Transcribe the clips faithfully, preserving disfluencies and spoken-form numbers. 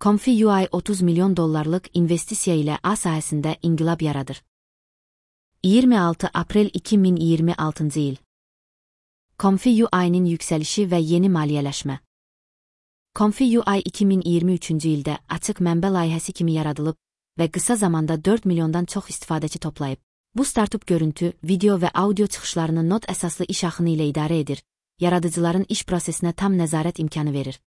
Comfy U I otuz milyon dollarlıq investisiya ilə A sahəsində inqilab yaradır. iyirmi altı aprel iki min iyirmi altıncı il. Comfy U I'nin yüksəlişi və yeni maliyyələşmə. Comfy U I iki min iyirmi üçüncü ildə açıq mənbə layihəsi kimi yaradılıb və qısa zamanda dörd milyondan çox istifadəçi toplayıb. Bu startup görüntü, video və audio çıxışlarını nod əsaslı iş axını ilə idarə edir, yaradıcıların iş prosesinə tam nəzarət imkanı verir.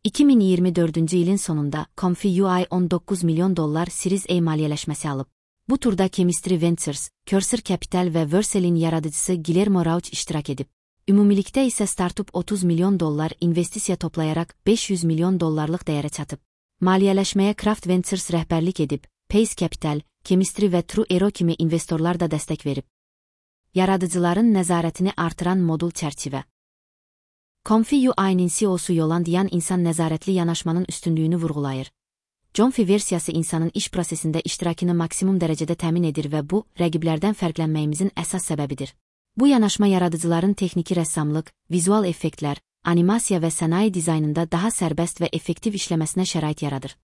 iki min iyirmi dördüncü ilin sonunda Comfy U I on doqquz milyon dollar Series A maliyyələşməsi alıb. Bu turda Chemistry Ventures, Cursor Capital və Vercel'in yaradıcısı Guillermo Rauch iştirak edib. Ümumilikdə isə startup otuz milyon dollar investisiya toplayaraq beş yüz milyon dollarlıq dəyərə çatıb. Maliyyələşməyə Craft Ventures rəhbərlik edib, Pace Capital, Chemistry və True Aero kimi investorlar da dəstək verib. Yaradıcıların nəzarətini artıran modul çərçivə. Comfy U I'nin C E O'su Yolanda Yan insan nəzarətli yanaşmanın üstünlüyünü vurğulayır. Comfy versiyası insanın iş prosesində iştirakını maksimum dərəcədə təmin edir və bu, rəqiblərdən fərqlənməyimizin əsas səbəbidir. Bu yanaşma yaradıcıların texniki rəssamlıq, vizual effektlər, animasiya və sənaye dizaynında daha sərbəst və effektiv işləməsinə şərait yaradır.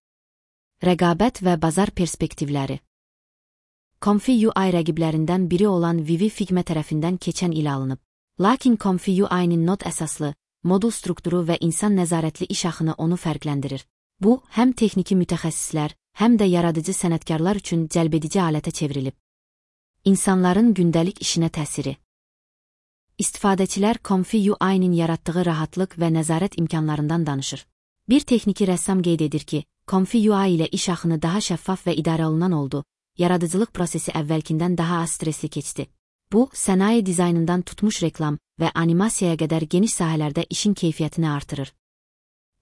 Rəqabət və bazar perspektivləri. Comfy U I rəqiblərindən biri olan Vivi Figma tərəfindən keçən il alınıb. Lakin Comfy U I'nin nod əsaslı, modul strukturu və insan nəzarətli iş axını onu fərqləndirir. Bu, həm texniki mütəxəssislər, həm də yaradıcı sənətkarlar üçün cəlbedici alətə çevrilib. İnsanların gündəlik işinə təsiri. İstifadəçilər Comfy U I'nin yaratdığı rahatlıq və nəzarət imkanlarından danışır. Bir texniki rəssam qeyd edir ki, Comfy U I ilə iş axını daha şəffaf və idarə olunan oldu, yaradıcılıq prosesi əvvəlkindən daha az stresli keçdi. Bu, sənaye dizaynından tutmuş reklam və animasiyaya qədər geniş sahələrdə işin keyfiyyətini artırır.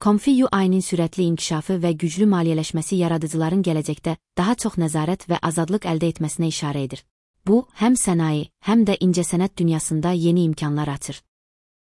Comfy U I'nin sürətli inkişafı və güclü maliyyələşməsi yaradıcıların gələcəkdə daha çox nəzarət və azadlıq əldə etməsinə işarə edir. Bu, həm sənaye, həm də incəsənət dünyasında yeni imkanlar açır.